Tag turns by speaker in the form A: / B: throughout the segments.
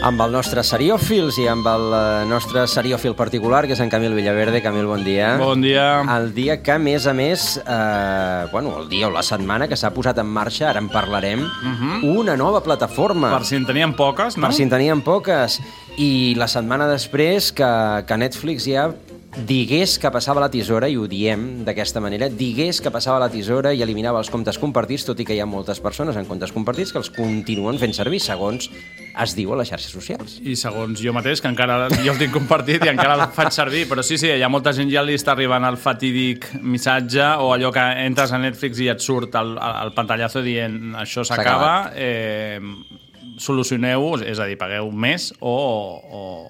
A: Amb el nostre seriòfils i amb el nostre seriòfil particular, que és en Camil Villaverde. Camil, bon dia.
B: Bon dia.
A: El dia que, a més, el dia o la setmana que s'ha posat en marxa, ara en parlarem, una nova plataforma.
B: Per si en teníem poques, no?
A: Per si en teníem poques. I la setmana després que Netflix ja digués que passava la tisora, i ho diem d'aquesta manera, digués que passava la tisora i eliminava els comptes compartits, tot i que hi ha moltes persones en comptes compartits que els continuen fent servir, segons es diu a les xarxes socials.
B: I segons jo mateix, que encara jo el tinc compartit i encara el faig servir, però sí, hi ha molta gent ja li està arribant el fatídic missatge o allò que entres a Netflix i et surt el pantallazo dient això s'acaba, solucioneu-ho, és a dir, pagueu més o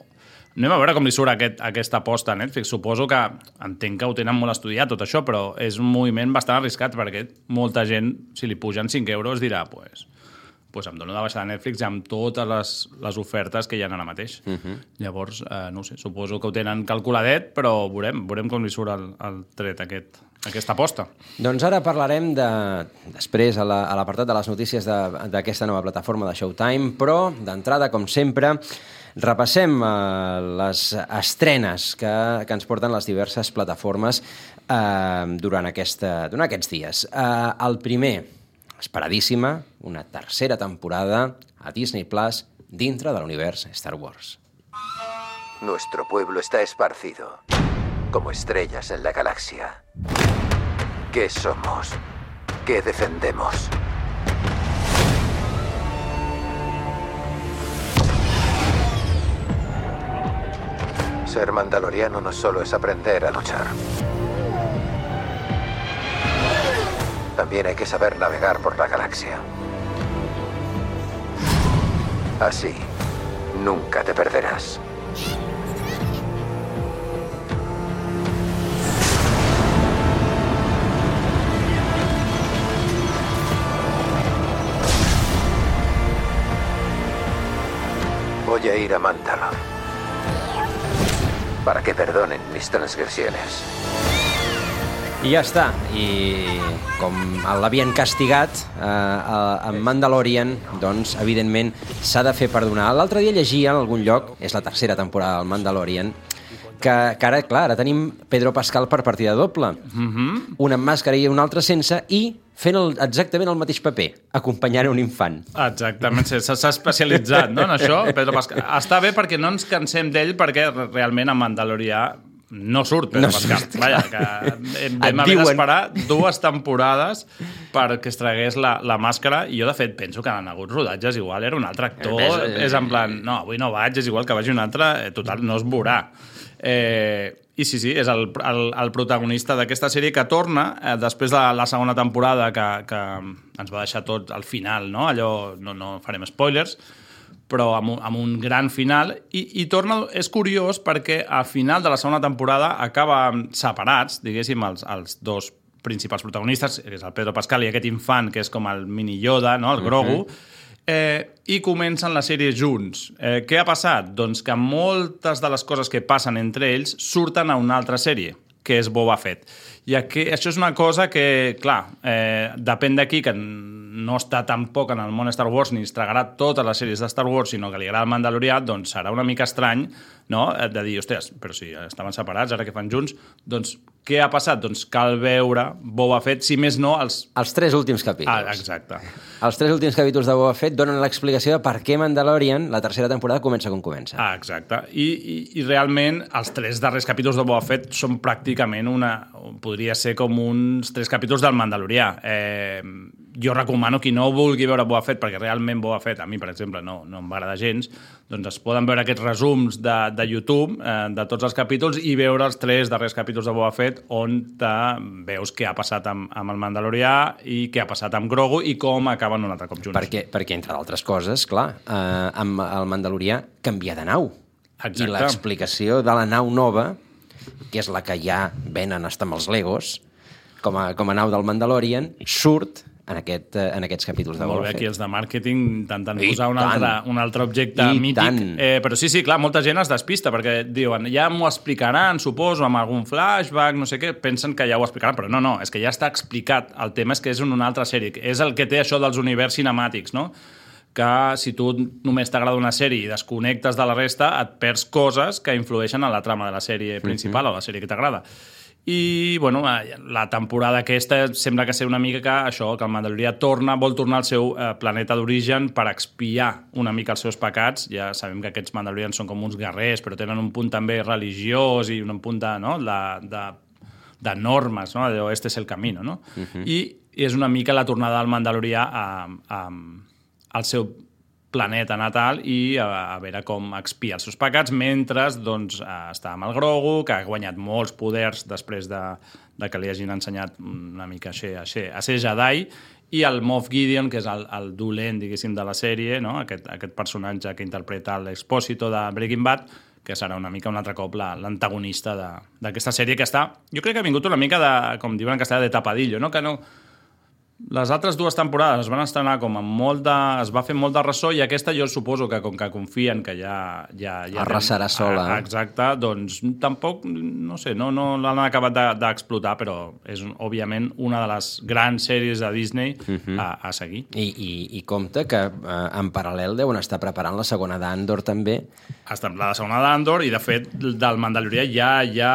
B: anem a veure com li surt aquesta aposta a Netflix. Suposo que entenc que ho tenen molt estudiat tot això, però és un moviment bastant arriscat perquè molta gent, si li pugen 5 euros, dirà pues em dono de baixar a Netflix amb totes les ofertes que hi ha ara mateix. Llavors, no ho sé, suposo que ho tenen calculadet, però veurem com li surt el tret aquesta aposta.
A: Doncs ara parlarem després a l'apartat de les notícies d'aquesta nova plataforma de Showtime, però d'entrada, com sempre, repassem les estrenes que ens porten les diverses plataformes durant aquests dies. El primer, esperadíssima, una tercera temporada a Disney Plus dintre de l'univers Star Wars.
C: Nuestro pueblo está esparcido, como estrellas en la galaxia. ¿Qué somos? ¿Qué defendemos? Ser mandaloriano no solo es aprender a luchar. También hay que saber navegar por la galaxia. Así, nunca te perderás. Voy a ir a Mandalor para que perdonen mis transgresiones.
A: I ja està. I com l'havien castigat en Mandalorian, doncs, evidentment, s'ha de fer perdonar. L'altre dia llegia en algun lloc, és la tercera temporada del Mandalorian, que ara, clar, ara tenim Pedro Pascal per partida doble. Una amb màscara i una altra sense, i fent exactament el mateix paper, acompanyant un infant.
B: Exactament, s'ha especialitzat, no, en això, Pedro Pascal. Està bé perquè no ens cansem d'ell, perquè realment a Mandalorià no surt Pedro Pascal. Vaja, que vam haver d'esperar 2 temporades perquè es tragués la màscara, i jo, de fet, penso que han hagut rodatges igual, era un altre actor, és en plan, no, avui no vaig, és igual que vagi un altre, total, no es veurà. I sí, és el protagonista d'aquesta sèrie que torna després de la segona temporada que ens va deixar tot al final, no? Allò, no farem spoilers, però amb un gran final, i torna, és curiós perquè al final de la segona temporada acaben separats, diguéssim, els dos principals protagonistes, que és el Pedro Pascal i aquest infant que és com el mini Yoda, no? El Grogu, i comencen la sèrie junts. Què ha passat? Doncs que moltes de les coses que passen entre ells surten a una altra sèrie, que és Boba Fett. I això és una cosa que, clar, depèn d'aquí, que no està tampoc en el món Star Wars ni es tragarà totes les sèries de Star Wars, sinó que li agrada el Mandalorià, doncs serà una mica estrany, no?, de dir, ostres, però si estaven separats, ara que fan junts, doncs què ha passat? Doncs cal veure Boba Fett, si més no, els
A: 3 últims capítols.
B: Exacte.
A: Els 3 últims capítols de Boba Fett donen l'explicació de per què Mandalorian, la tercera temporada, comença com comença.
B: Exacte. I realment els 3 darrers capítols de Boba Fett són pràcticament podria ser com uns 3 capítols del Mandalorià. Jo recomano qui no vulgui veure Boba Fett, perquè realment Boba Fett, a mi, per exemple, no em va agradar gens, doncs es poden veure aquests resums de YouTube de tots els capítols i veure els 3 darrers capítols de Boba Fett, on veus què ha passat amb el Mandalorià i què ha passat amb Grogu i com acaben un altre cop junts.
A: Perquè entre d'altres coses, clar, amb el Mandalorià canvia de nau.
B: Exacte.
A: I l'explicació de la nau nova, que és la que ja venen hasta amb els Legos, com a nau del Mandalorian, surt en aquests capítols de Boba Fett.
B: Molt bé, aquí els de màrqueting intentant posar un altre objecte mític. Però sí, clar, molta gent es despista perquè diuen, ja m'ho explicaran, suposo, amb algun flashback, no sé què, pensen que ja ho explicaran, però no, és que ja està explicat. El tema és que és en una altra sèrie. És el que té això dels univers cinemàtics, no? que si tu només t'agrada una sèrie i desconnectes de la resta, et perds coses que influeixen en la trama de la sèrie principal o la sèrie que t'agrada. I, bueno, la temporada aquesta sembla que ser una mica que això, que el Mandalorià vol tornar al seu planeta d'origen per expiar una mica els seus pecats. Ja sabem que aquests Mandalorians són com uns guerrers, però tenen un punt també religiós i un punt de normes, no? Allò, este és el camino, no? I és una mica la tornada del Mandalorià al seu planeta natal i a veure com expia els seus pecats mentre doncs, està amb el Grogu, que ha guanyat molts poders després de que li hagin ensenyat una mica a ser Jedi, i el Moff Gideon, que és el dolent, diguéssim, de la sèrie, no? Aquest personatge que interpreta l'Expósito de Breaking Bad, que serà una mica un altre cop l'antagonista d'aquesta sèrie que està... Jo crec que ha vingut una mica de, com diuen en castellà, de tapadillo, no? Que no... Les altres dues temporades es van estrenar com amb es va fer molt de ressò, i aquesta jo suposo que com que confien que ja
A: arrasarà sola.
B: Exacte, doncs tampoc, no sé, no l'han acabat d'explotar, però és òbviament una de les grans sèries de Disney a seguir.
A: I compte que en paral·lel deuen estar preparant la segona d'Andor també.
B: La segona d'Andor, i de fet del Mandalorià ja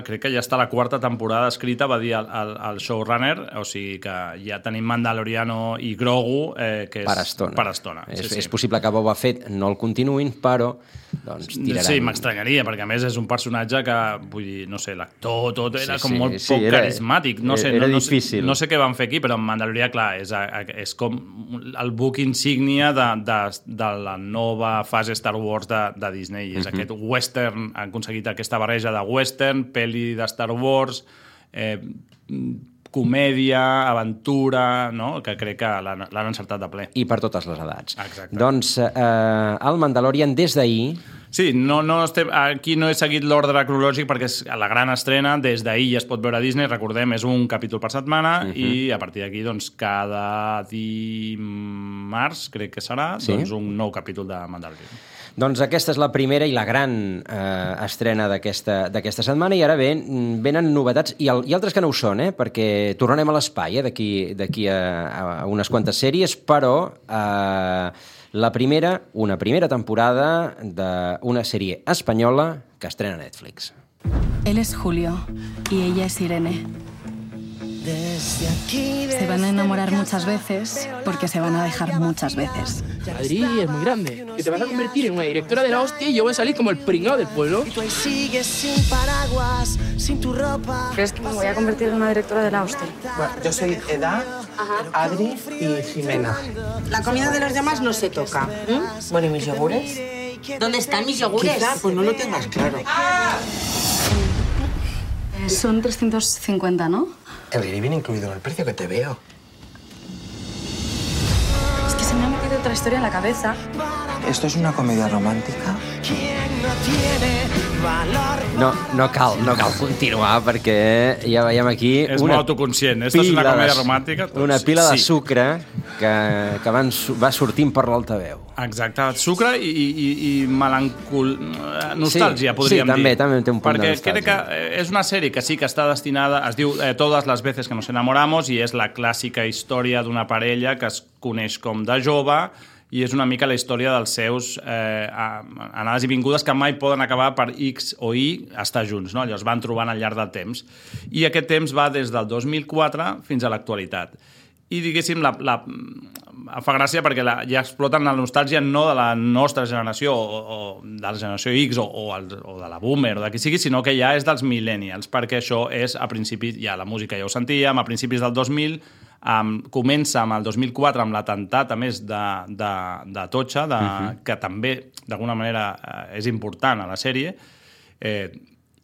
B: crec que ja està la quarta temporada escrita, va dir el showrunner, o sigui que ja tenim Mandaloriano i Grogu, que és per estona.
A: És possible que Boba Fett no el continuïn, però doncs tiraran...
B: Sí, m'estranyaria, perquè a més és un personatge que, vull dir, no sé, l'actor, tot era com molt poc carismàtic. No sé,
A: era difícil.
B: No sé què van fer aquí, però en Mandalorià, clar, és com el book insígnia de la nova fase Star Wars de Disney. És aquest western, han aconseguit aquesta barreja de western, pel·li de Star Wars, comèdia, aventura, no? Que crec que l'han encertat de ple.
A: I per totes les edats.
B: Exacte.
A: Doncs el Mandalorian des d'ahir...
B: Sí, aquí no he seguit l'ordre cronològic perquè és la gran estrena, des d'ahir ja es pot veure a Disney, recordem, és un capítol per setmana, i a partir d'aquí, doncs, cada dimarts, crec que serà, doncs un nou capítol de Mandalorian.
A: Doncs aquesta és la primera i la gran estrena d'aquesta setmana, i ara venen novetats, i altres que no ho són, perquè tornarem a l'espai d'aquí a unes quantes sèries, però una primera temporada d'una sèrie espanyola que estrena Netflix.
D: Él es Julio y ella es Irene. Se van a enamorar muchas veces porque se van a dejar muchas veces.
E: Adri es muy grande. Que te vas a convertir en una directora de la hostia y yo voy a salir como el pringao del pueblo.
F: Y tú ahí sigues sin paraguas, sin tu ropa.
D: ¿Crees que me voy a convertir en una directora de la hostia?
G: Bueno, yo soy Eda, Adri y Jimena.
H: La comida de los demás no se toca.
G: Bueno, ¿y mis yogures?
H: ¿Dónde están mis yogures?
G: Quizá, pues no lo tengas claro.
D: Son 350, ¿no?
G: El guiri viene incluido en el precio que te veo.
D: Es que se me ha metido otra historia en la cabeza.
G: ¿Esto es una comedia romàntica?
A: No cal continuar, perquè ja veiem aquí...
B: És molt autoconscient. Esta és una comèdia romàntica.
A: Una pila de sucre que va sortint per l'altaveu.
B: Exacte, sucre i nostàlgia, podríem dir.
A: Sí, també té un punt de nostàlgia.
B: Perquè crec que és una sèrie que sí que està destinada, es diu Todas las veces que nos enamoramos, i és la clàssica història d'una parella que es coneix com de jove, i és una mica la història dels seus anades i vingudes que mai poden acabar per X o Y estar junts, no? Allò es van trobant al llarg del temps. I aquest temps va des del 2004 fins a l'actualitat. I, diguéssim, fa gràcia perquè ja exploten la nostàlgia no de la nostra generació o de la generació X o de la boomer o de qui sigui, sinó que ja és dels millennials, perquè això és a principis, ja la música ja ho sentíem, a principis del 2000, comença amb el 2004 amb l'atemptat a més de Atocha, que també d'alguna manera és important a la sèrie,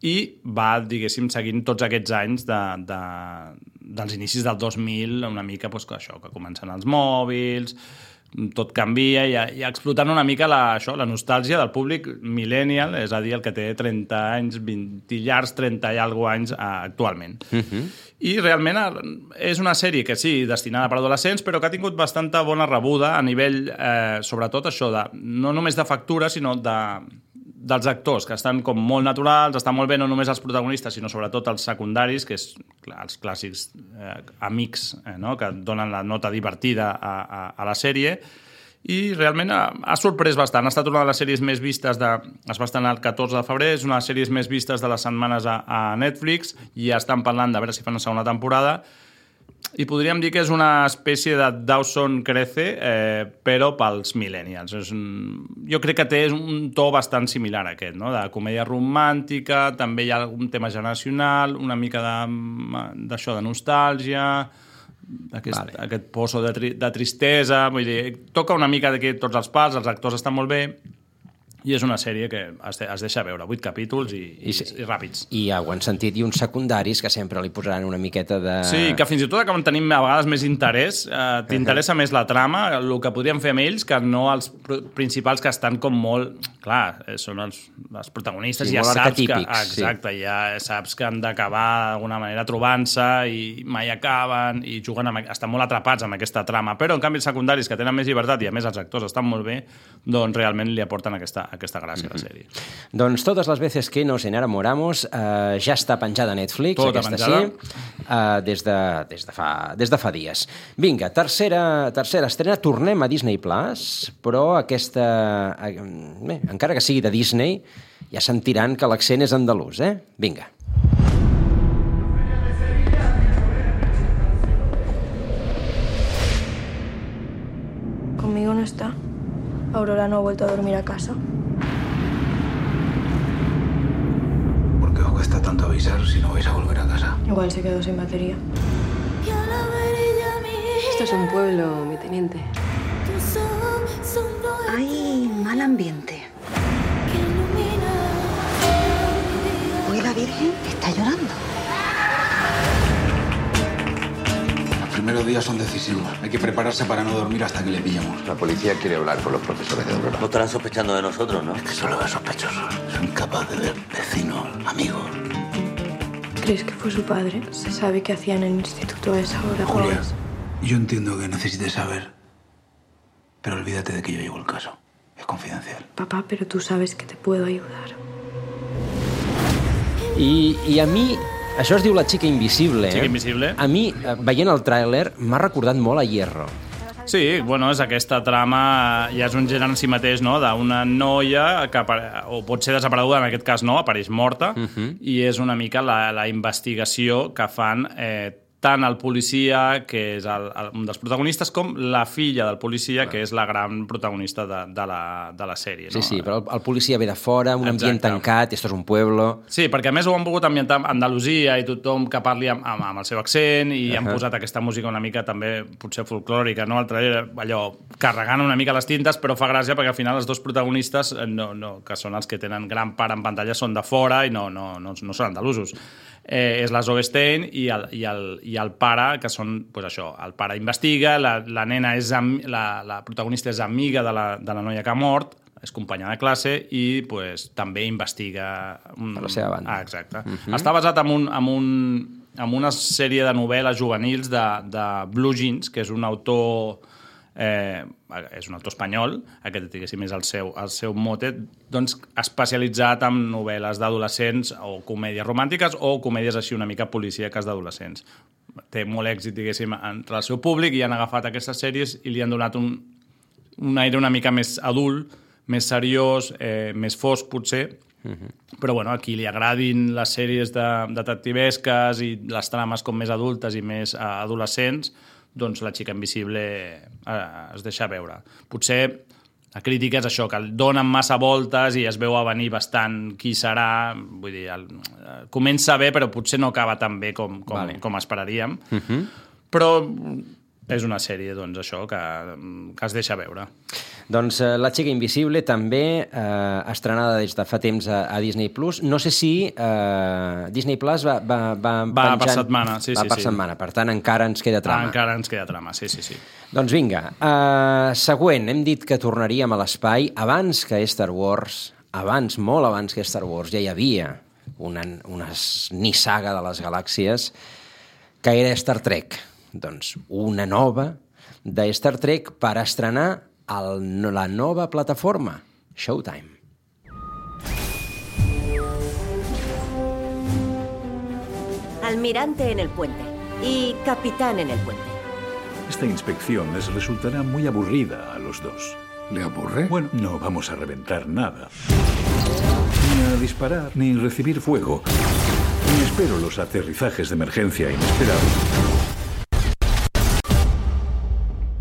B: i va, diguéssim, seguint tots aquests anys dels inicis del 2000, una mica això, que comencen els mòbils, tot canvia i explotant una mica la nostàlgia del públic millennial, és a dir, el que té 30 anys, 20 llargs, 30 i alguna anys actualment. I realment és una sèrie que sí, destinada per adolescents, però que ha tingut bastanta bona rebuda a nivell, sobretot això, no només de factura, sinó dels actors, que estan com molt naturals, estan molt bé no només els protagonistes, sinó sobretot els secundaris, que és els clàssics amics, no? Que donen la nota divertida a la sèrie, i realment ha sorprès bastant. Ha estat una de les sèries més vistes es va estrenar el 14 de febrer, és una de les sèries més vistes de les setmanes a Netflix i ja estan parlant de veure si fan una segona temporada i podríem dir que és una espècie de Dawson Crece, però pels millennials. Jo crec que té un to bastant similar a aquest, no? De comèdia romàntica, també hi ha algun tema generacional, una mica d'això de nostàlgia, aquest pozo de tristesa, vull dir, toca una mica d'aquí tots els pals, els actors estan molt bé, i és una sèrie que es deixa veure, 8 capítols i ràpids.
A: I ja ho han sentit, i uns secundaris que sempre li posaran una miqueta de...
B: Sí, que fins i tot acaben tenint a vegades més interès, t'interessa més la trama, el que podríem fer amb ells, que no els principals que estan com molt... Clar, són els protagonistes,
A: sí,
B: ja saps que...
A: Exacte,
B: ja saps que han d'acabar d'alguna manera trobant-se i mai acaben i juguen estan molt atrapats amb aquesta trama, però en canvi els secundaris que tenen més llibertat i a més els actors estan molt bé, doncs realment li aporten aquesta gràcia a la sèrie.
A: Doncs Todas las veces que nos enamoramos ja està penjada a Netflix,
B: tota
A: aquesta
B: penjada.
A: Des de fa dies. Vinga, tercera estrena, tornem a Disney Plus, però aquesta... Bé, encara que sigui de Disney, ja sentiran que l'accent és andalús, Vinga.
I: Conmigo no está. Aurora no ha vuelto a dormir a casa.
J: ¿Por qué os cuesta tanto avisar si no vais a volver a casa?
I: Igual se quedó sin batería.
K: Esto es un pueblo, mi teniente.
L: Hay mal ambiente. Hoy la Virgen está llorando.
J: Los primeros días son decisivos. Hay que prepararse para no dormir hasta que le pillemos.
C: La policía quiere hablar con los profesores de Aurora.
M: No estarán sospechando de nosotros, ¿no?
J: Es que solo es sospechoso. Son incapaces de ver vecinos, amigos.
I: ¿Crees que fue su padre? ¿Se sabe qué hacía en el instituto a esa hora?
J: Julia, yo entiendo que necesites saber, pero olvídate de que yo llevo el caso. Es confidencial.
I: Papá, pero tú sabes que te puedo ayudar.
A: I a mi, això es diu La xica invisible.
B: Xica invisible.
A: A mi, veient el tràiler, m'ha recordat molt a Hierro.
B: Sí, bueno, és aquesta trama, ja és un gènere en si mateix, no?, d'una noia que o pot ser desapareguda, en aquest cas no, apareix morta, i és una mica la investigació que fan tant el policia, que és un dels protagonistes, com la filla del policia, que és la gran protagonista de la sèrie. No?
A: Sí, però el policia ve de fora, un ambient tancat, esto és un pueblo...
B: Sí, perquè a més ho han volgut ambientar a Andalusia i tothom que parli amb el seu accent i han posat aquesta música una mica també potser folclòrica, no? Allò carregant una mica les tintes, però fa gràcia perquè al final els dos protagonistes, que són els que tenen gran part en pantalla, són de fora i no són andalusos. És la Zoe Stein i el pare, que són, doncs això, el pare investiga, la nena la protagonista és amiga de la noia que ha mort, és companya de classe i pues, també investiga...
A: Per la seva banda.
B: Exacte. Està basat en una sèrie de novel·les juvenils de Blue Jeans, que és un autor... és un autor espanyol, aquest diguéssim és el seu mote, doncs especialitzat en novel·les d'adolescents o comèdies romàntiques o comèdies així una mica policíaques d'adolescents. Té molt èxit, diguéssim, entre el seu públic i han agafat aquestes sèries i li han donat un aire una mica més adult, més seriós, més fosc potser, però bueno, a qui li agradin les sèries detectivesques i les trames com més adultes i més adolescents, doncs La xica invisible es deixa veure. Potser la crítica és això, que el donen massa voltes i es veu a venir bastant qui serà, vull dir, comença bé però potser no acaba tan bé com esperaríem, però és una sèrie, doncs, això, que es deixa veure.
A: Doncs La xica invisible també estrenada des de fa temps a Disney+. No sé si Disney Plus va penjant...
B: per setmana, sí.
A: Va per setmana, per tant encara ens queda trama.
B: Encara ens queda trama, sí.
A: Doncs vinga, següent, hem dit que tornaríem a l'espai abans que Star Wars, molt abans que Star Wars, ja hi havia una nissaga de les galàxies que era Star Trek. Doncs una nova de Star Trek per estrenar la nova plataforma, Showtime.
N: Almirante en el puente y capitán en el puente.
M: Esta inspección les resultará muy aburrida a los dos.
J: ¿Le aburre?
M: Bueno, no vamos a reventar nada. Ni a disparar, ni recibir fuego. Ni espero los aterrizajes de emergencia inesperados.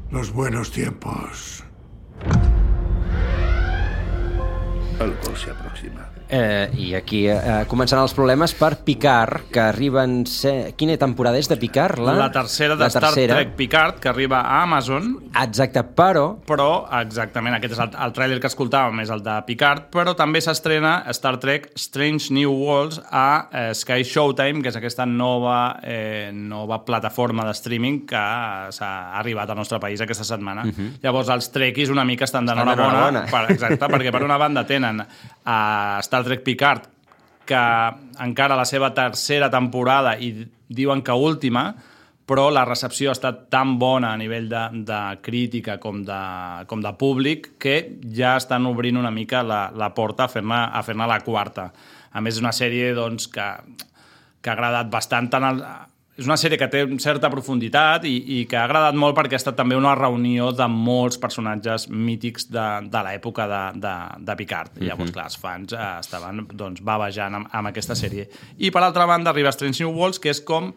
J: Los buenos tiempos. Algo se aproxima.
A: I aquí començaran els problemes per Picard, que arriben... Quina temporada és de Picard?
B: La tercera de Star Trek Picard, que arriba a Amazon.
A: Exacte, però,
B: exactament, aquest és el tràiler que escoltàvem, és el de Picard, però també s'estrena Star Trek Strange New Worlds a Sky Showtime, que és aquesta nova plataforma de streaming que s'ha arribat al nostre país aquesta setmana. Llavors, els trekkies una mica estan d'enhorabona. Exacte, perquè per una banda tenen a Star Trek Picard, que encara la seva tercera temporada i diuen que última, però la recepció ha estat tan bona a nivell de crítica com de públic que ja estan obrint una mica la porta a fer-ne la quarta. A més, és una sèrie doncs, que ha agradat bastant tant és una sèrie que té certa profunditat i que ha agradat molt perquè ha estat també una reunió de molts personatges mítics de l'època de Picard. I llavors, clar, els fans estaven bavejant amb aquesta sèrie. I, per altra banda, arriba Strange New Worlds, que és com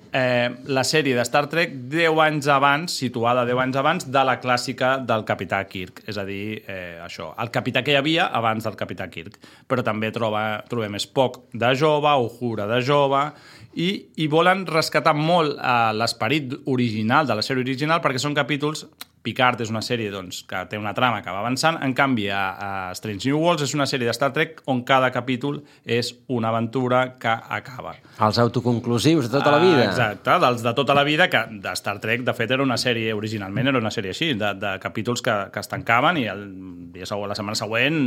B: la sèrie de Star Trek 10 anys abans, situada 10 anys abans de la clàssica del Capità Kirk. És a dir, això, el capità que hi havia abans del Capità Kirk. Però també trobem Spock de jove, Uhura de jove, i volen rescatar molt l'esperit original de la sèrie original perquè són capítols... Picard és una sèrie que té una trama que va avançant, en canvi a Strange New Worlds és una sèrie de Star Trek on cada capítol és una aventura que acaba.
A: Els autoconclusius de tota la vida.
B: Exacte, dels de tota la vida, que de Star Trek, de fet, era una sèrie, originalment era una sèrie així, de capítols que es tancaven i la setmana següent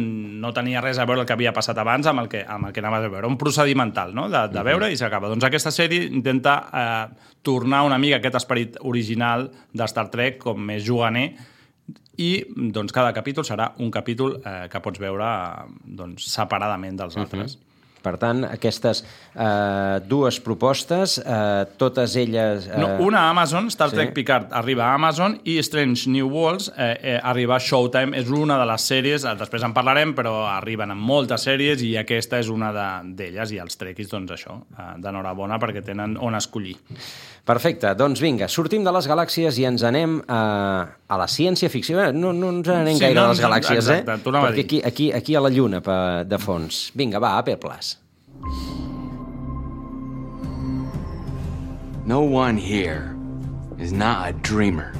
B: no tenia res a veure el que havia passat abans amb el que anaves a veure. Un procedimental, no?, de veure i s'acaba. Doncs aquesta sèrie intenta tornar una mica aquest esperit original de Star Trek com més juganer i doncs, cada capítol serà un capítol que pots veure separadament dels altres.
A: Per tant, aquestes dues propostes, totes elles...
B: Una a Amazon, Star Trek Picard arriba a Amazon i Strange New Worlds arriba a Showtime. És una de les sèries, després en parlarem, però arriben amb moltes sèries i aquesta és una d'elles i els trekkies, doncs això, d'enhorabona perquè tenen on escollir.
A: Perfecte, doncs vinga, sortim de les galàxies i ens anem a la ciència-ficció. No ens anem gaire a les galàxies,
B: exacte,
A: perquè aquí a la Lluna de fons. Vinga, va, Apple Plus.
N: No one here is not a dreamer.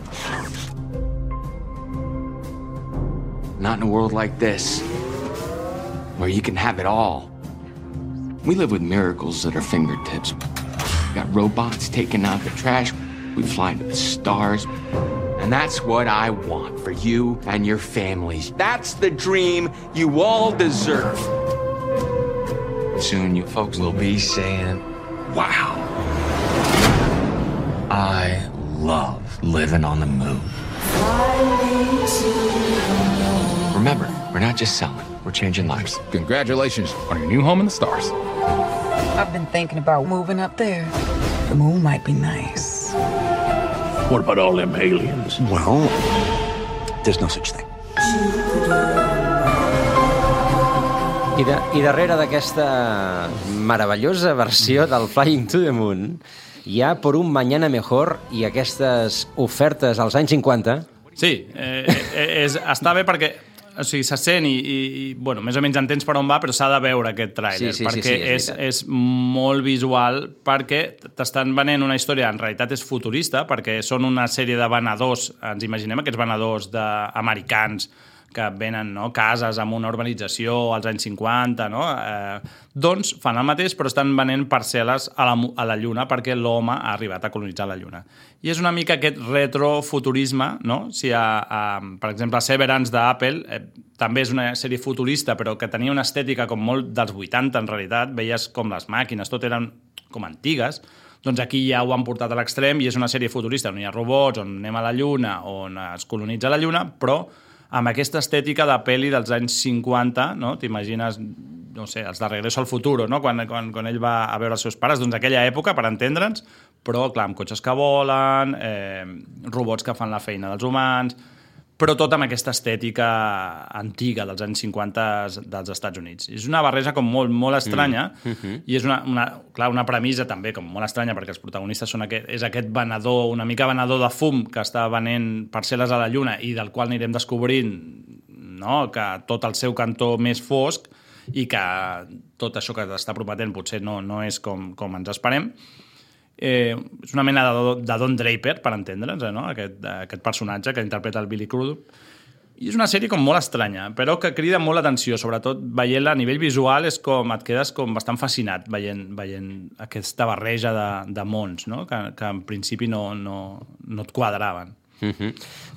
N: Not in a world like this, where you can have it all. We live with miracles at our fingertips. We got robots taking out the trash. We fly to the stars. And that's what I want for you and your families. That's the dream you all deserve. Soon you folks will be saying, wow, I love living on the moon. Remember, we're not just selling, we're changing lives.
O: Congratulations on your new home in the stars.
P: I've been thinking about moving up there. The moon might be nice.
O: What about all them aliens?
J: Well, there's no such thing.
A: I darrere d'aquesta meravellosa versió del Flying to the Moon hi ha Por un mañana mejor i aquestes ofertes als anys 50.
B: Sí, està bé perquè o sigui, se sent i bueno, més o menys entens per on va, però s'ha de veure aquest tràiler, perquè és molt visual, perquè t'estan venent una història, en realitat és futurista, perquè són una sèrie de venedors, ens imaginem aquests venedors americans que venen cases amb una urbanització als anys 50, doncs fan el mateix, però estan venent parcel·les a la Lluna perquè l'home ha arribat a colonitzar la Lluna. I és una mica aquest retrofuturisme, si per exemple, Severance d'Apple també és una sèrie futurista, però que tenia una estètica com molt dels 80, en realitat, veies com les màquines, tot eren com antigues, doncs aquí ja ho han portat a l'extrem i és una sèrie futurista on hi ha robots, on anem a la Lluna, on es colonitza la Lluna, però amb aquesta estètica de pel·li dels anys 50, t'imagines, no sé, els de Regreso al Futuro, quan ell va a veure els seus pares, doncs aquella època, per entendre'ns, però, clar, amb cotxes que volen, robots que fan la feina dels humans, però tot amb aquesta estètica antiga dels anys 50 dels Estats Units. És una barreja com molt estranya i és una premissa també com molt estranya perquè els protagonistes és aquest venedor, una mica venedor de fum que està venent parcel·les a la Lluna i del qual anirem descobrint, no?, que tot el seu cantó més fosc i que tot això que està prometent potser no és com ens esperem. És una mena de Don Draper, per entendre'ns, no? Aquest personatge que interpreta el Billy Crudup. I és una sèrie com molt estranya, però que crida molt l'atenció, sobretot veient-la a nivell visual et quedes com bastant fascinat veient aquesta barreja de mons, no? que en principi no et quadraven.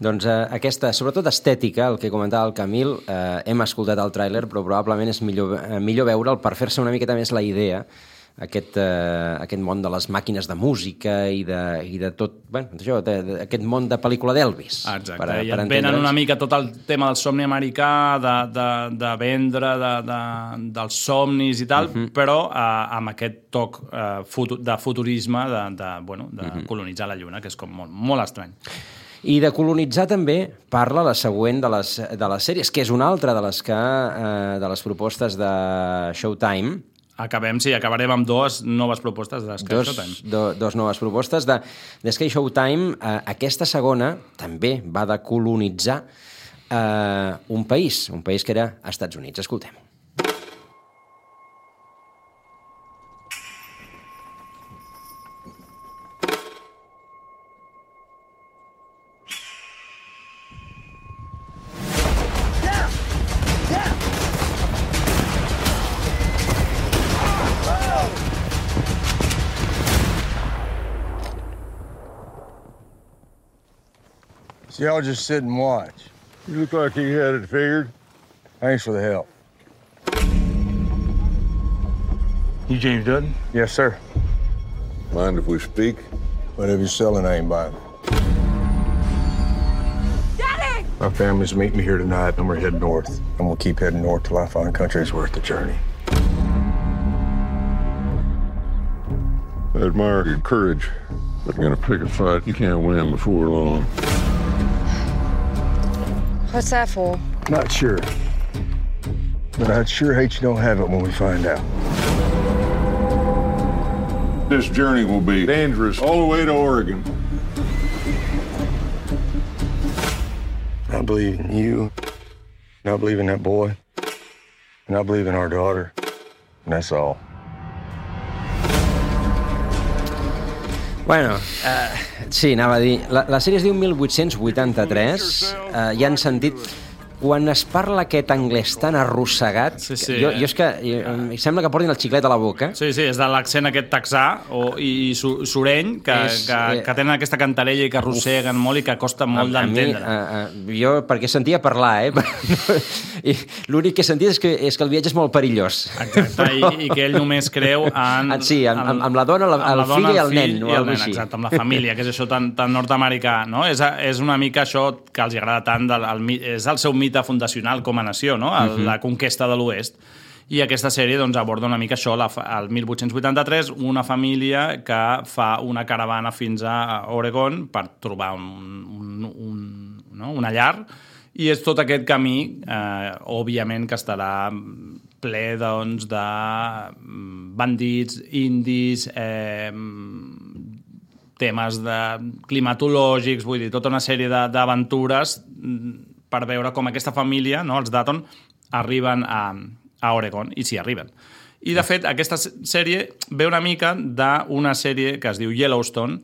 A: Doncs aquesta, sobretot estètica, el que comentava el Camil, hem escoltat el tràiler, però probablement és millor veure'l per fer-se una miqueta més la idea, aquest món de les màquines de música i de tot, això, aquest món de pel·lícula d'Elvis.
B: Exacte, i et venen una mica tot el tema del somni americà, de vendre, dels somnis i tal, però amb aquest toc de futurisme, de colonitzar la Lluna, que és com molt estrany.
A: I de colonitzar també parla la següent de les sèries, que és una altra de les propostes de Showtime.
B: Acabarem amb dues noves propostes de Sky Showtime.
A: Dos noves propostes de Sky Showtime. Aquesta segona també va de colonitzar un país que era Estats Units. Escoltem.
Q: So y'all just sit and watch. You look like you had it figured. Thanks for the help.
J: You James Dutton?
Q: Yes, sir.
R: Mind if we speak?
Q: Whatever you're selling, I ain't buying.
I: Daddy!
Q: My family's meeting me here tonight, and we're heading north. And we'll keep heading north till I find country's worth the journey.
R: I admire your courage, but you're gonna pick a fight you can't win before long.
I: What's that for?
Q: Not sure. But I'd sure hate you don't have it when we find out.
R: This journey will be dangerous all the way to Oregon.
Q: I believe in you, and I believe in that boy, and I believe in our daughter, and that's all.
A: Bueno, sí, anava a dir... La sèrie es diu 1883. Ja han sentit... Quan es parla aquest anglès tan arrossegat, jo és que em sembla que portin el xiclet a la boca.
B: Sí, és de l'accent aquest texà i sureny, que tenen aquesta cantarella i que arrosseguen molt i que costa molt d'entendre.
A: Jo, perquè sentia parlar, i l'únic que sentia és que el viatge és molt perillós.
B: Exacte, i que ell només creu en...
A: Sí, amb la dona, el fill i el nen.
B: Exacte, amb la família, que és això tan nord-americà, no? És una mica això que els agrada tant, és el seu mite fundacional com a nació, no? La conquesta de l'Oest. I aquesta sèrie doncs, aborda una mica això, el 1883, una família que fa una caravana fins a Oregon per trobar una llar, i és tot aquest camí, òbviament, que estarà ple doncs, de bandits, indis, temes climatològics, vull dir, tota una sèrie d'aventures per veure com aquesta família, no, els Dutton, arriben a Oregon, i s'hi arriben. I, de fet, aquesta sèrie ve una mica d'una sèrie que es diu Yellowstone.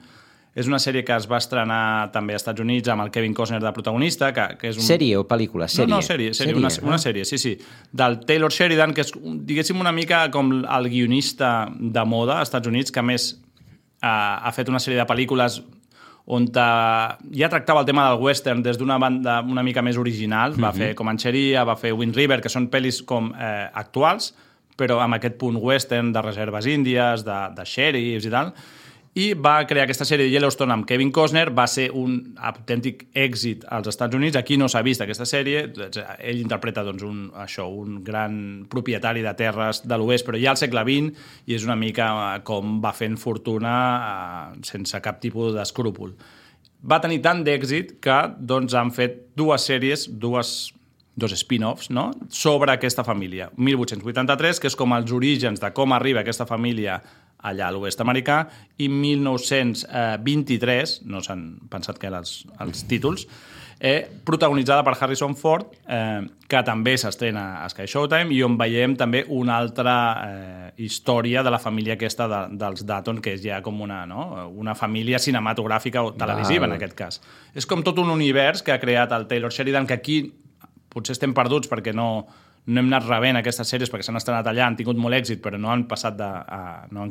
B: És una sèrie que es va estrenar també als Estats Units amb el Kevin Costner de protagonista. Que és
A: Sèrie o pel·lícula?
B: No, sèrie. Una sèrie, sí. Del Taylor Sheridan, que és, diguéssim, una mica com el guionista de moda als Estats Units, que a més ha fet una sèrie de pel·lícules on ja tractava el tema del western des d'una banda una mica més original. Va fer Comancheria, va fer Wind River, que són pel·lis com actuals, però amb aquest punt western de reserves índies, de xèrifs i tal. i va crear aquesta sèrie de Yellowstone amb Kevin Costner, va ser un autèntic èxit als Estats Units, aquí no s'ha vist aquesta sèrie, ell interpreta doncs, un gran propietari de terres de l'oest, però ja al segle XX, i és una mica com va fent fortuna sense cap tipus d'escrúpol. Va tenir tant d'èxit que doncs, han fet dues sèries, dos spin-offs, no?, sobre aquesta família. 1883, que és com els orígens de com arriba aquesta família allà a l'oest americà, i 1923, no s'han pensat que eren els títols, protagonitzada per Harrison Ford, que també s'estrena a Sky Showtime, i on veiem també una altra història de la família aquesta dels Dutton, que és ja com una família cinematogràfica o televisiva, en aquest cas. És com tot un univers que ha creat el Taylor Sheridan, que aquí potser estem perduts perquè no hem anat rebent aquestes sèries perquè s'han estrenat allà, han tingut molt èxit, però no han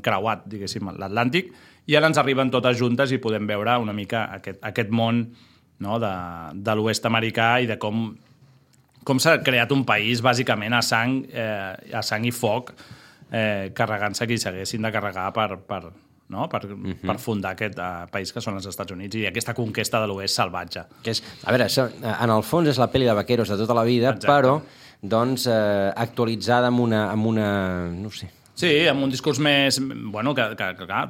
B: creuat, diguéssim, l'Atlàntic, i ara ens arriben totes juntes i podem veure una mica aquest món, no?, de l'oest americà i de com s'ha creat un país bàsicament a sang i foc, carregant-se qui s'haguessin de carregar per fundar aquest país que són els Estats Units i aquesta conquesta de l'oest salvatge.
A: A veure, en el fons és la pel·li de vaqueros de tota la vida, però doncs actualitzada amb una no sé...
B: Sí, amb un discurs més... Bueno, que clar,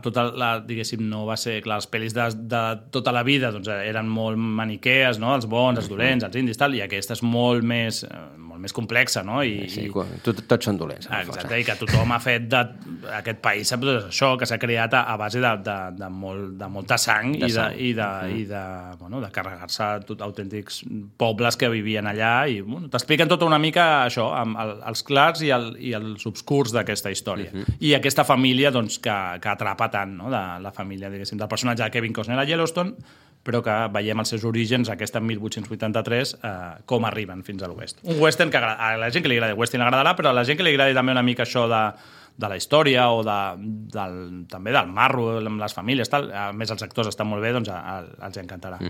B: diguéssim, no va ser... Clar, les pel·lis de tota la vida doncs, eren molt maniquees, no?, els bons, els dolents, els indis, tal, i aquesta és molt més complexa, no?
A: Tots són dolents.
B: Exacte, i que tothom ha fet d'aquest país això, que s'ha creat a base de molta sang i de carregar-se autèntics pobles que vivien allà i t'expliquen tota una mica això, amb els clars i els obscurs d'aquesta història. I aquesta família doncs, que atrapa tant, no?, de la família, diguéssim, del personatge de Kevin Costner a Yellowstone, però que veiem els seus orígens, aquesta 1883, com arriben fins a l'oest. Un western que a la gent que li agrada el western agradarà, però a la gent que li agrada també una mica això de la història o també del marro amb les famílies, tal. A més els actors estan molt bé, doncs els encantarà.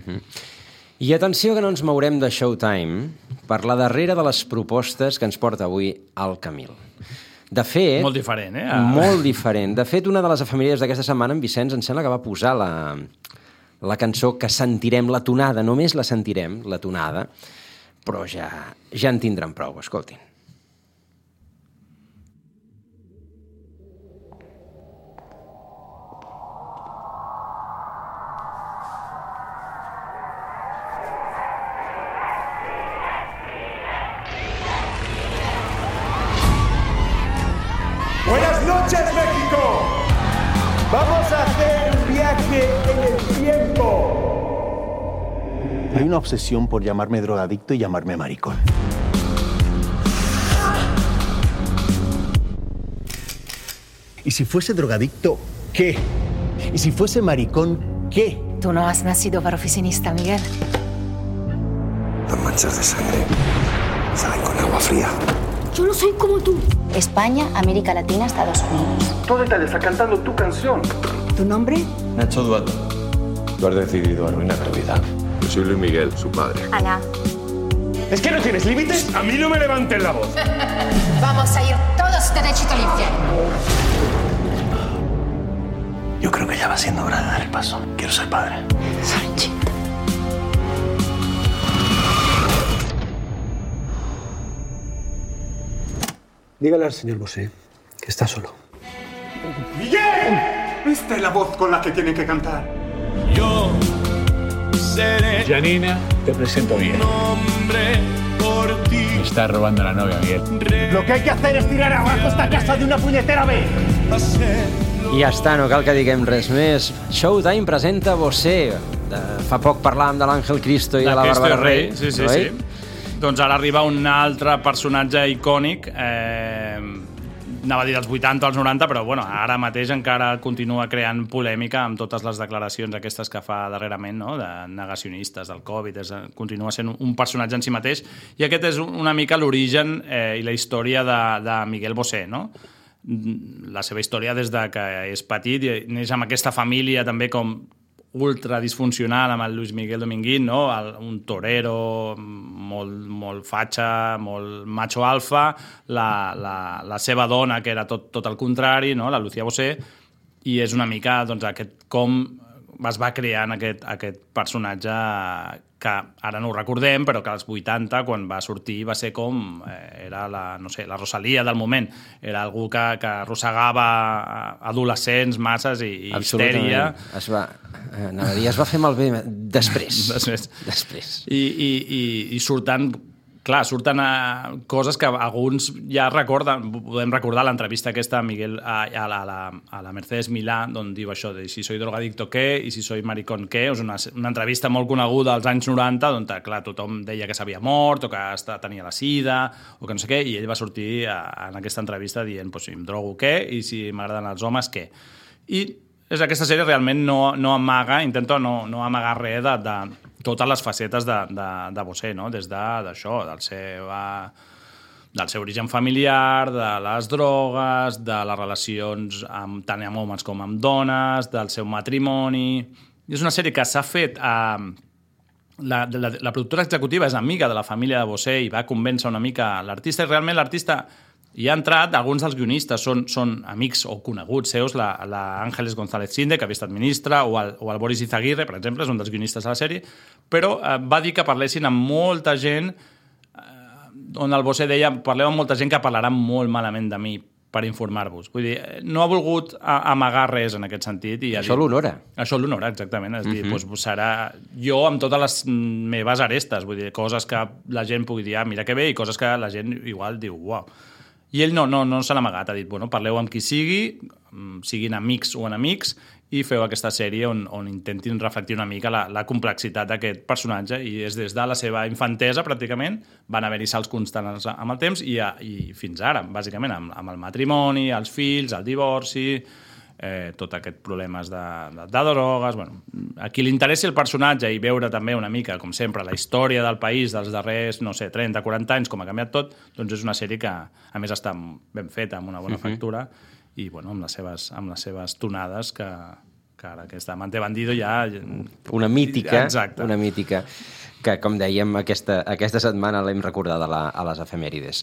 A: I atenció que no ens mourem de Showtime per la darrera de les propostes que ens porta avui el Camil. De fet...
B: Molt diferent,
A: Molt diferent. De fet, una de les efemèrides d'aquesta setmana, en Vicenç, em sembla que va posar la cançó que sentirem, la tonada, només la sentirem, la tonada, però ja en tindran prou, escoltin.
S: Buenas noches, México. Vamos a hacer un viaje en el tiempo. Hay una obsesión por llamarme drogadicto y llamarme maricón. ¿Y si fuese drogadicto, qué? ¿Y si fuese maricón, qué?
T: Tú no has nacido para oficinista, Miguel.
C: Las manchas de sangre salen con agua fría.
T: Yo no soy como tú. España, América Latina, Estados Unidos.
S: Todo Italia está cantando tu canción.
T: ¿Tu nombre?
Q: Nacho Duato. Tú has decidido arruinar tu vida.
R: Yo soy Luis Miguel, su padre.
T: Ana.
S: ¿Es que no tienes límites? A mí no me levantes la voz.
T: Vamos a ir todos derechito al infierno.
J: Yo creo que ya va siendo hora de dar el paso. Quiero ser padre.
T: Sorry.
J: Dígale al señor Bosé que está solo.
S: ¡Miguel! Esta es la voz con la que tienen que cantar. Yo seré...
O: Janina, te presento bien.
S: Nombre por ti.
O: Me estás robando la novia, Miguel.
S: Lo que hay que hacer es tirar abajo esta casa de una puñetera vez.
A: I ja està, no cal que diguem res més. Showtime presenta Bosé. Fa poc parlàvem de l'Àngel Cristo i de la Bàrbara Rey.
B: Sí. Doncs ara arriba un altre personatge icònic, anava a dir dels 80 o als 90, però bueno, ara mateix encara continua creant polèmica amb totes les declaracions aquestes que fa darrerament, no?, de negacionistes del Covid, continua sent un personatge en si mateix, i aquest és una mica l'origen i la història de Miguel Bosé, no? La seva història des de que és petit i neix amb aquesta família també com ultra disfuncional amb el Luis Miguel Dominguín, no? Un torero molt fatxa, molt macho alfa, la seva dona que era tot el contrari, no? La Lucía Bosé, i és una mica com es va creant aquest personatge que ara no ho recordem, però que als 80, quan va sortir, va ser com... Era la Rosalia del moment. Era algú que arrossegava adolescents, masses i histèria.
A: Es va fer malbé després. Després.
B: I surten coses que alguns ja podem recordar l'entrevista aquesta a Miguel, a la Mercedes Milà, on diu això de si soy drogadicto què i si soy maricón què. És una entrevista molt coneguda als anys 90, on clar, tothom deia que s'havia mort o que tenia la sida o que no sé què, i ell va sortir en aquesta entrevista dient si em drogo què i si m'agraden els homes què. I aquesta sèrie realment no amaga, intento no amagar res de totes les facetes de Bosé, no? Des d'això, del seu origen familiar, de les drogues, de les relacions tant amb homes com amb dones, del seu matrimoni... És una sèrie que s'ha fet... La productora executiva és amiga de la família de Bosé i va convèncer una mica l'artista, i realment l'artista hi ha entrat, alguns dels guionistes són amics o coneguts seus, la Ángeles González Sinde, que havia estat ministra, o el Boris Izaguirre, per exemple, és un dels guionistes de la sèrie, però va dir que parlessin amb molta gent, on el Bosé deia, parleu amb molta gent que parlarà molt malament de mi per informar-vos. Vull dir, no ha volgut amagar res en aquest sentit.
A: Això l'honora.
B: Això l'honora, exactament. És dir, serà jo amb totes les meves arestes, vull dir, coses que la gent pugui dir, mira que bé, i coses que la gent igual diu, uau. I ell no se l'ha amagat, ha dit, parleu amb qui sigui, siguin amics o enemics, i feu aquesta sèrie on intentin reflectir una mica la complexitat d'aquest personatge, i és des de la seva infantesa, pràcticament, van haver-hi salts constants amb el temps, i fins ara, bàsicament, amb el matrimoni, els fills, el divorci, tot aquests problemes de drogues... A qui li interessi el personatge i veure també una mica, com sempre, la història del país dels darrers, 30, 40 anys, com ha canviat tot, doncs és una sèrie que, a més, està ben feta, amb una bona factura, i amb les seves tonades que ara aquesta Amante Bandido ja...
A: Una mítica.
B: Exacte.
A: Una mítica que, com dèiem, aquesta setmana l'hem recordat a les efemèrides.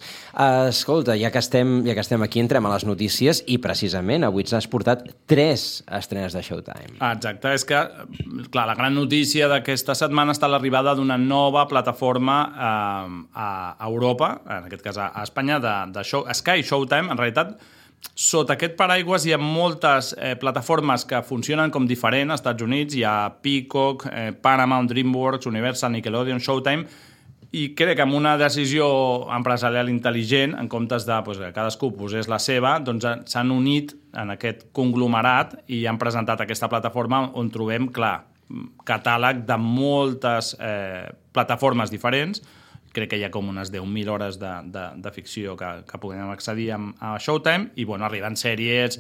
A: Escolta, ja que estem aquí, entrem a les notícies, i precisament avui ens has portat 3 estrenes de Showtime.
B: Exacte, és que, clar, la gran notícia d'aquesta setmana està l'arribada d'una nova plataforma a Europa, en aquest cas a Espanya, de Sky Showtime. En realitat, sota aquest paraigües hi ha moltes plataformes que funcionen com diferent. Als Estats Units hi ha Peacock, Paramount, DreamWorks, Universal, Nickelodeon, Showtime, i crec que amb una decisió empresarial intel·ligent, en comptes de que cadascú posés la seva, doncs s'han unit en aquest conglomerat i han presentat aquesta plataforma on trobem, clar, catàleg de moltes plataformes diferents. Crec que hi ha com unes 10.000 hores de ficció que podem accedir a Showtime, i arriben sèries,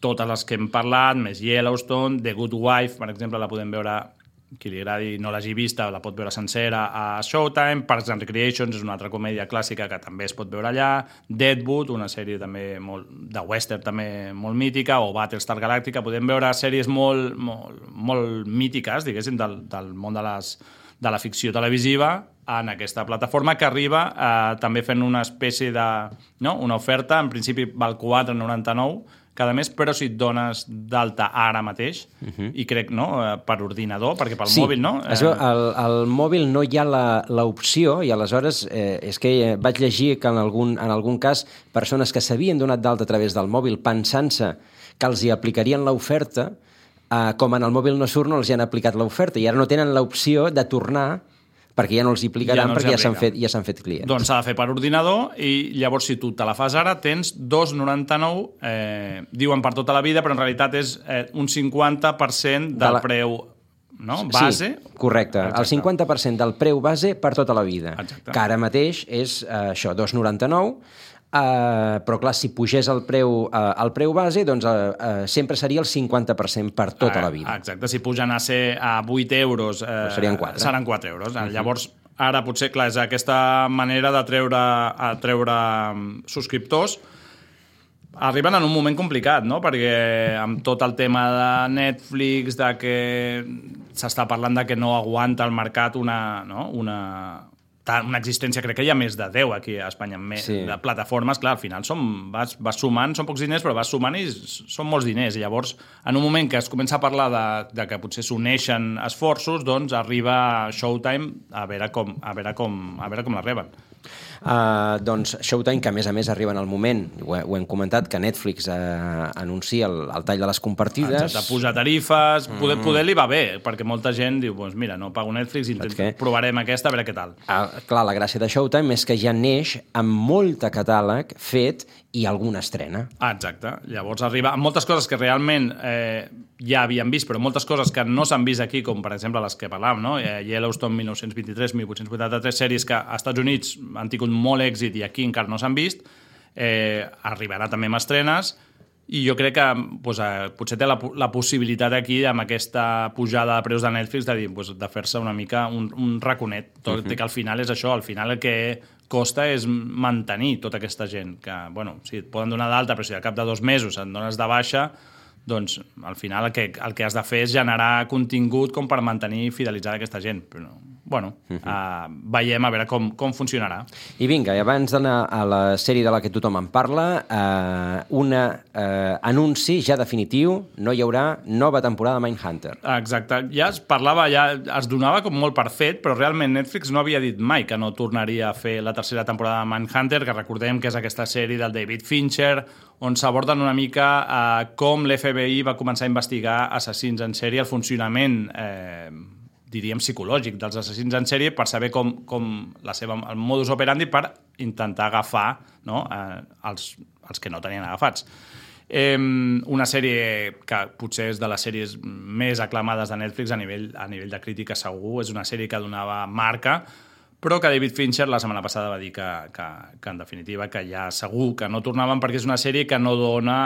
B: totes les que hem parlat, més Yellowstone, The Good Wife, per exemple, la podem veure, qui li agradi no l'hagi vista, la pot veure sencera a Showtime. Parks and Recreations és una altra comèdia clàssica que també es pot veure allà, Deadwood, una sèrie també de western també molt mítica, o Battlestar Galactica. Podem veure sèries molt mítiques, diguéssim, del món de la ficció televisiva en aquesta plataforma, que arriba també fent una espècie una oferta. En principi val $4,99 cada mes, però si et dones d'alta ara mateix, i crec, per ordinador, perquè pel mòbil, no?
A: Al mòbil no hi ha l'opció, i aleshores és que vaig llegir que en algun cas persones que s'havien donat d'alta a través del mòbil pensant-se que els hi aplicarien l'oferta, com en el mòbil no surt, no els hi han aplicat l'oferta, i ara no tenen l'opció de tornar perquè ja no els hi aplicaran, perquè ja s'han fet clients.
B: Doncs s'ha de fer per ordinador, i llavors si tu te la fas ara tens $2,99, diuen per tota la vida, però en realitat és un 50% del preu base.
A: Sí, correcte. El 50% del preu base per tota la vida. Exacte. Que ara mateix és això, $2,99, però clar, si pugés el preu base, doncs sempre seria el 50% per tota la vida.
B: Exacte, si pugen a ser a €8,
A: serien 4.
B: Seran €4. Llavors, ara potser, clar, és aquesta manera de treure subscriptors. Arriben en un moment complicat, no? Perquè amb tot el tema de Netflix, de que s'està parlant de que no aguanta el mercat una existència, crec que hi ha més de 10 aquí a Espanya, de plataformes, clar, al final vas sumant, són pocs diners, però vas sumant i són molts diners, i llavors, en un moment que es comença a parlar de que potser s'uneixen esforços, doncs arriba Showtime a veure com la reben.
A: Doncs Showtime, que a més arriba en el moment, ho hem comentat, que Netflix anuncia el tall de les compartides.
B: Exacte, pujar tarifes, poder li va bé, perquè molta gent diu, doncs mira, no pago Netflix, provarem aquesta, a veure què tal.
A: Clar, la gràcia de Showtime és que ja neix amb molt catàleg fet i alguna estrena.
B: Exacte, llavors arriba amb moltes coses que realment ja havíem vist, però moltes coses que no s'han vist aquí, com per exemple les que parlàvem, no? Yellowstone 1923, 1883, sèries que als Estats Units han tingut molt èxit i aquí encara no s'han vist, arribarà també amb estrenes, i jo crec que potser té la possibilitat aquí, amb aquesta pujada de preus de Netflix, de fer-se una mica un raconet. Tot i que al final és això, al final el que costa és mantenir tota aquesta gent, que, bueno, sí, et poden donar d'alta, però si al cap de 2 mesos et dones de baixa, doncs al final el que has de fer és generar contingut com per mantenir i fidelitzar aquesta gent. Però, bueno, veiem a veure com funcionarà.
A: I vinga, abans d'anar a la sèrie de la que tothom en parla, un anunci ja definitiu, no hi haurà nova temporada de Mindhunter.
B: Exacte, ja es donava com molt per fet, però realment Netflix no havia dit mai que no tornaria a fer la tercera temporada de Mindhunter, que recordem que és aquesta sèrie del David Fincher, on s'aborden una mica com l'FBI va començar a investigar assassins en sèrie, el funcionament diríem psicològic dels assassins en sèrie, per saber com el modus operandi, per intentar agafar, no, els que no tenien agafats. Una sèrie que potser és de les sèries més aclamades de Netflix a nivell de crítica, segur. És una sèrie que donava marca, però que David Fincher la setmana passada va dir que en definitiva que ja segur que no tornaven, perquè és una sèrie que no dona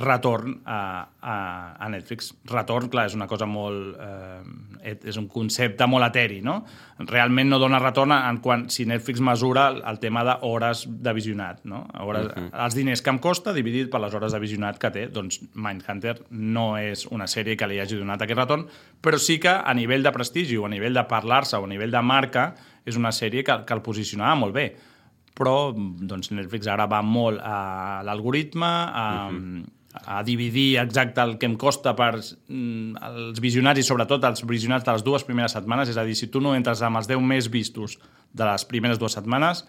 B: retorn a Netflix. Retorn, clar, és una cosa molt... és un concepte molt eteri, no? Realment no dona retorn si Netflix mesura el tema d'hores de visionat, no? Els diners que em costa dividit per les hores de visionat que té, doncs Mindhunter no és una sèrie que li hagi donat aquest retorn, però sí que a nivell de prestigi o a nivell de parlar-se o a nivell de marca és una sèrie que el posicionava molt bé. Però doncs, Netflix ara va molt a l'algoritme, a dividir exacte el que em costa per els visionats i sobretot els visionats de les 2 primeres setmanes. És a dir, si tu no entres amb els 10 més vistos de les primeres 2 setmanes,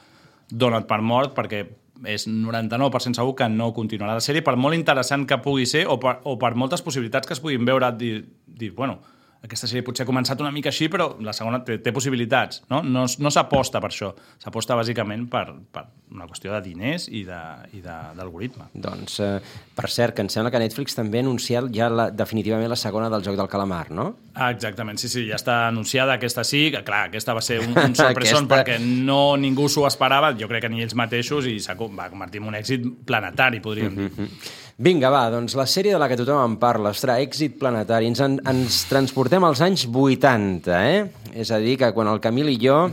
B: dona't per mort, perquè és 99% segur que no continuarà la sèrie, per molt interessant que pugui ser o per moltes possibilitats que es puguin veure, dir, bueno, aquesta sèrie potser ha començat una mica així, però la segona té possibilitats, no? No s'aposta per això. S'aposta bàsicament per una qüestió de diners i d'algoritme.
A: Doncs, per cert, que em sembla que Netflix també ha anunciat ja definitivament la segona del Joc del Calamar, no?
B: Exactament, sí, ja està anunciada. Aquesta sí, que clar, aquesta va ser un sorpresón perquè ningú s'ho esperava, jo crec que ni ells mateixos, i va convertir en un èxit planetari, podríem dir.
A: Vinga, va, doncs la sèrie de la que tothom en parla, ostres, èxit planetari. Ens transportem als anys 80, És a dir, que quan el Camil i jo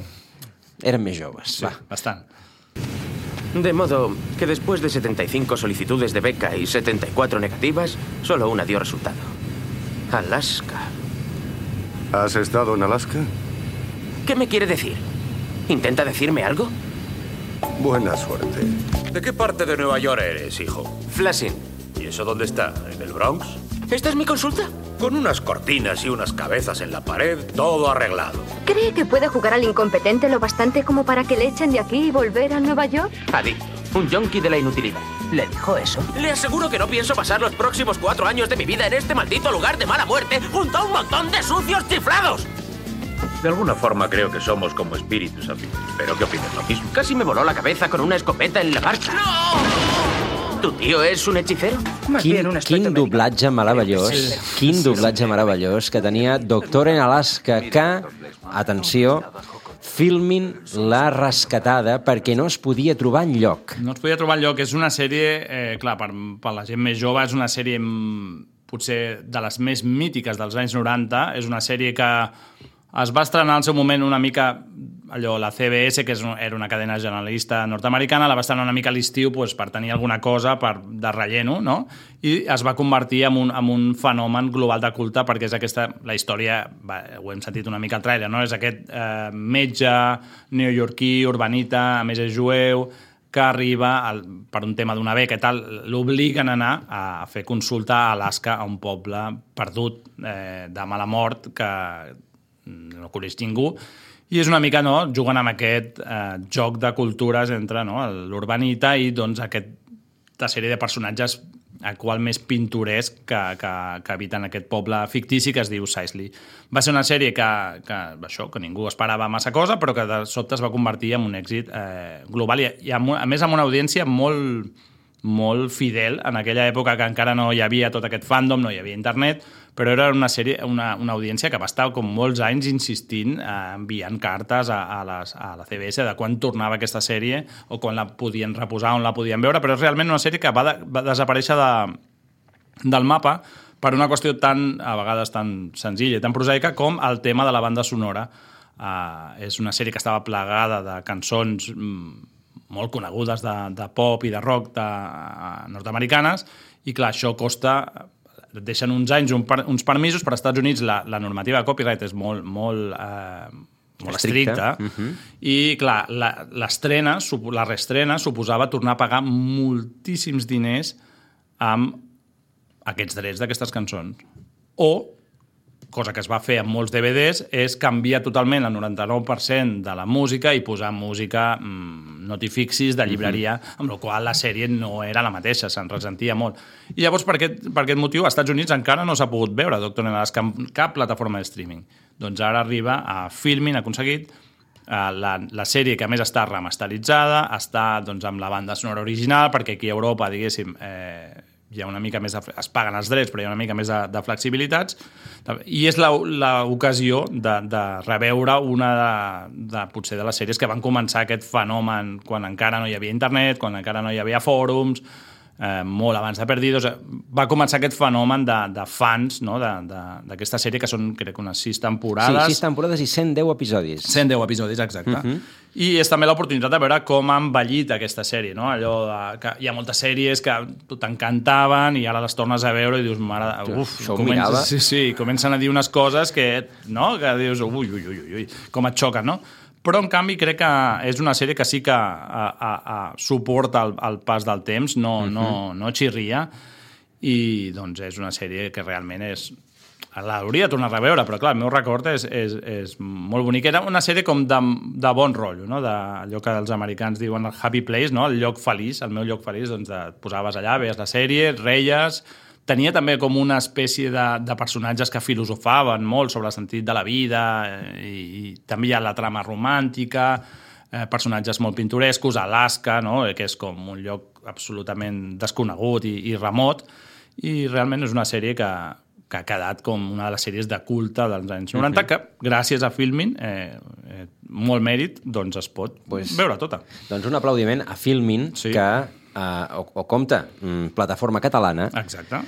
A: érem més joves.
B: Sí, bastant.
U: De modo que después de 75 solicitudes de beca y 74 negativas, solo una dio resultado. Alaska.
Q: ¿Has estado en Alaska?
U: ¿Qué me quiere decir? ¿Intenta decirme algo?
Q: Buena suerte.
V: ¿De qué parte de Nueva York eres, hijo?
U: Flushing.
V: ¿Y eso dónde está? ¿En el Bronx?
U: ¿Esta es mi consulta?
V: Con unas cortinas y unas cabezas en la pared, todo arreglado.
W: ¿Cree que puede jugar al incompetente lo bastante como para que le echen de aquí y volver a Nueva York?
U: Adicto, un yonki de la inutilidad. ¿Le dijo eso? Le aseguro que no pienso pasar los próximos 4 años de mi vida en este maldito lugar de mala muerte junto a un montón de sucios chiflados.
V: De alguna forma creo que somos como espíritus afines. Espero que opines lo mismo.
U: Casi me voló la cabeza con una escopeta en la marcha. ¡No! ¿Tu tío és un hechicero?
A: Quin doblatge meravellós, quin doblatge meravellós que tenia Doctor en Alaska, que, atenció, filmin La Rescatada perquè no es podia trobar enlloc.
B: No es podia trobar enlloc, és una sèrie, clar, per la gent més jove, és una sèrie potser de les més mítiques dels anys 90, és una sèrie que es va estrenar al seu moment una mica la CBS, que era una cadena generalista nord-americana, la va estar una mica a l'estiu per tenir alguna cosa de relleno, no? I es va convertir en un fenomen global de culte, perquè és aquesta, la història, ho hem sentit una mica al trailer, no? És aquest metge neoyorquí, urbanita, a més és jueu, que arriba, per un tema d'una beca i tal, l'obliguen a anar a fer consulta a Alaska, a un poble perdut de mala mort que no coneix ningú, i és una mica, no?, juguen amb aquest joc de cultures entre l'urbanita i doncs aquesta sèrie de personatges el qual més pintoresc que habiten aquest poble fictici que es diu Sicily. Va ser una sèrie que ningú esperava massa cosa, però que de sobte es va convertir en un èxit global i a més amb una audiència molt fidel en aquella època que encara no hi havia tot aquest fandom, no hi havia internet, però era una sèrie, una audiència que va estar com molts anys insistint, enviant cartes a la CBS de quan tornava aquesta sèrie o quan la podien reposar, on la podien veure, però és realment una sèrie que va desaparèixer del mapa per una qüestió a vegades tan senzilla i tan prosaica com el tema de la banda sonora. És una sèrie que estava plagada de cançons molt conegudes de pop i de rock nord-americanes i clar, això costa, deixen uns anys uns permisos, per als Estats Units la normativa de copyright és molt estricta i clar, la reestrena suposava tornar a pagar moltíssims diners amb aquests drets d'aquestes cançons. O cosa que es va fer amb molts DVDs, és canviar totalment el 99% de la música i posar música notifixis de llibreria, amb la qual la sèrie no era la mateixa, se'n ressentia molt. I llavors, per aquest motiu, als Estats Units encara no s'ha pogut veure Doctor en Alaska en cap plataforma de streaming. Doncs ara arriba a Filmin, ha aconseguit la sèrie que a més està remasteritzada, està amb la banda sonora original, perquè aquí a Europa, diguéssim, hi ha una mica més es paguen els drets, però hi ha una mica més de flexibilitats, i és l'ocasió de reveure una potser de les sèries que van començar aquest fenomen quan encara no hi havia internet, quan encara no hi havia fòrums, molt abans de Perdidos. Va començar aquest fenomen de fans d'aquesta sèrie, que són, crec, unes 6 temporades.
A: Sí, 6 temporades i 110 episodis.
B: 110 episodis, exacte. I és també l'oportunitat de veure com ha envellit aquesta sèrie, no? Allò que hi ha moltes sèries que t'encantaven i ara les tornes a veure i dius, mare, comencen a dir unes coses que dius, ui, com et xoquen, no? Però, en canvi, crec que és una sèrie que sí que suporta el pas del temps, no xirria, i doncs és una sèrie que realment l'hauria de tornar a reveure, però clar, el meu record és molt bonic. Era una sèrie com de bon rotllo, no? Allò que els americans diuen el happy place, no? El lloc feliç, el meu lloc feliç, doncs et posaves allà, veies la sèrie, reies. Tenia també com una espècie de personatges que filosofaven molt sobre el sentit de la vida i també hi ha la trama romàntica, personatges molt pintorescos, Alaska, no? Que és com un lloc absolutament desconegut i remot, i realment és una sèrie que ha quedat com una de les sèries de culte dels anys 90, que gràcies a Filmin, molt mèrit, doncs es pot veure tota.
A: Doncs un aplaudiment a Filmin, que o compte, plataforma catalana.
B: Exacte.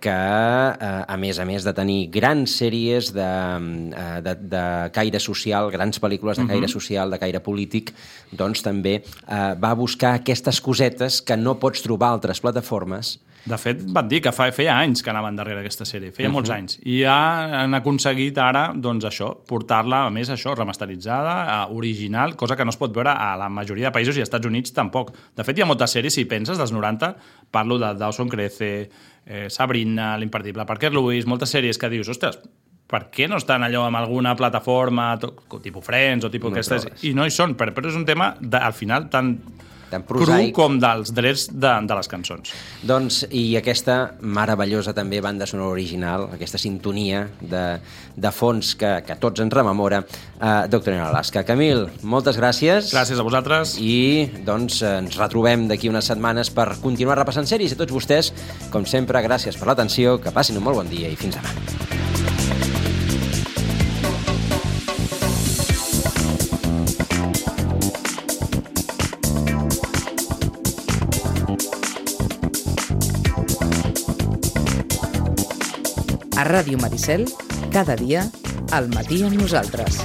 A: Que, a més de tenir grans sèries de caire social, grans pel·lícules de caire social, de caire polític, doncs també va buscar aquestes cosetes que no pots trobar a altres plataformes.
B: De fet, van dir que feia anys que anaven darrere aquesta sèrie, feia molts anys. I ja han aconseguit ara, doncs això, portar-la, a més, això, remasteritzada, original, cosa que no es pot veure a la majoria de països i als Estats Units tampoc. De fet, hi ha moltes sèries, si penses, dels 90, parlo de Dawson Crece, Sabrina, l'imperdible Parker Lewis, moltes sèries que dius, ostres, per què no estan allò en alguna plataforma, tipus Friends o tipus aquestes, i no hi són, però és un tema, al final, tan cru com dels drets de les cançons.
A: Doncs, i aquesta meravellosa també banda sonora original, aquesta sintonia de fons que tots ens rememora, Doctor en Alaska. Camil, moltes gràcies.
B: Gràcies a vosaltres.
A: I doncs ens retrobem d'aquí unes setmanes per continuar repassant sèries. A tots vostès, com sempre, gràcies per l'atenció, que passin un molt bon dia i fins demà.
E: A Ràdio Maricel, cada dia, al matí amb nosaltres.